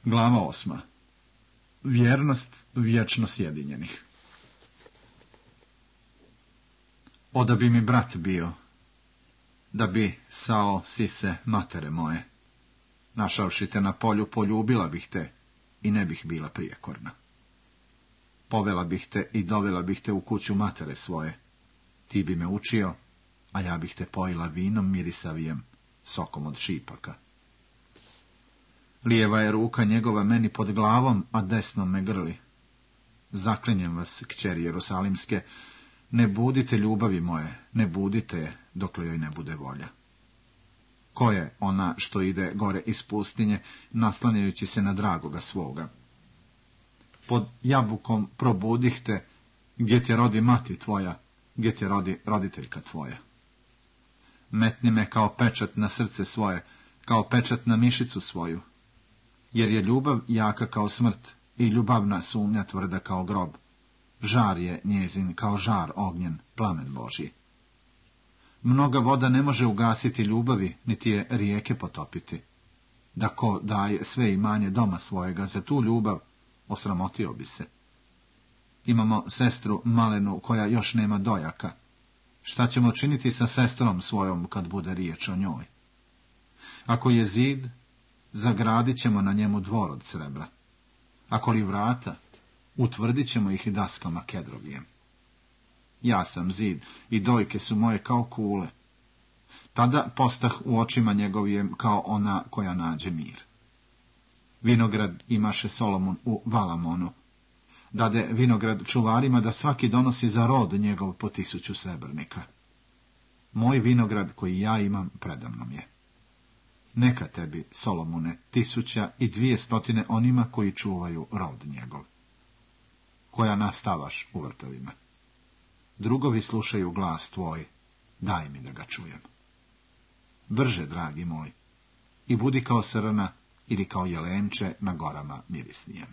Glava 8. Vjernost vječno sjedinjenih. Oda bi mi brat bio, da bi sao sise matere moje. Našavši te na polju, poljubila bih te i ne bih bila prijekorna. Povela bih te i dovela bih te u kuću matere svoje. Ti bi me učio, a ja bih te pojila vinom mirisavijem, sokom od šipaka. Lijeva je ruka njegova meni pod glavom, a desnom me grli. Zaklinjem vas, kćeri Jerusalimske, ne budite ljubavi moje, ne budite je, dokle joj ne bude volja. Ko je ona što ide gore iz pustinje, naslanjajući se na dragoga svoga? Pod jabukom probudih te, gdje te rodi mati tvoja, gdje te rodi roditeljka tvoja. Metni me kao pečat na srce svoje, kao pečat na mišicu svoju, jer je ljubav jaka kao smrt i ljubavna sumnja tvrda kao grob. Žar je njezin kao žar ognjen, plamen Božji. Mnoga voda ne može ugasiti ljubavi, niti je rijeke potopiti. Da ko daje sve imanje doma svojega za tu ljubav, osramotio bi se. Imamo sestru malenu koja još nema dojaka. Šta ćemo činiti sa sestrom svojom kad bude riječ o njoj? Ako je zid, zagradit ćemo na njemu dvor od srebra. Ako li vrata, utvrdit ćemo ih daskama kedrovijem. Ja sam zid i dojke su moje kao kule. Tada postah u očima njegovijem kao ona koja nađe mir. Vinograd imaše Solomon u Valamonu. Dade vinograd čuvarima da svaki donosi za rod njegov po 1000 srebrnika. Moj vinograd koji ja imam predamnom je. Neka tebi, Solomone, 1200 onima koji čuvaju rod njegov. Koja nastavaš u vrtovima. Drugovi slušaju glas tvoj, daj mi da ga čujem. Brže, dragi moj, i budi kao srna ili kao jelenče na gorama mirisnijem.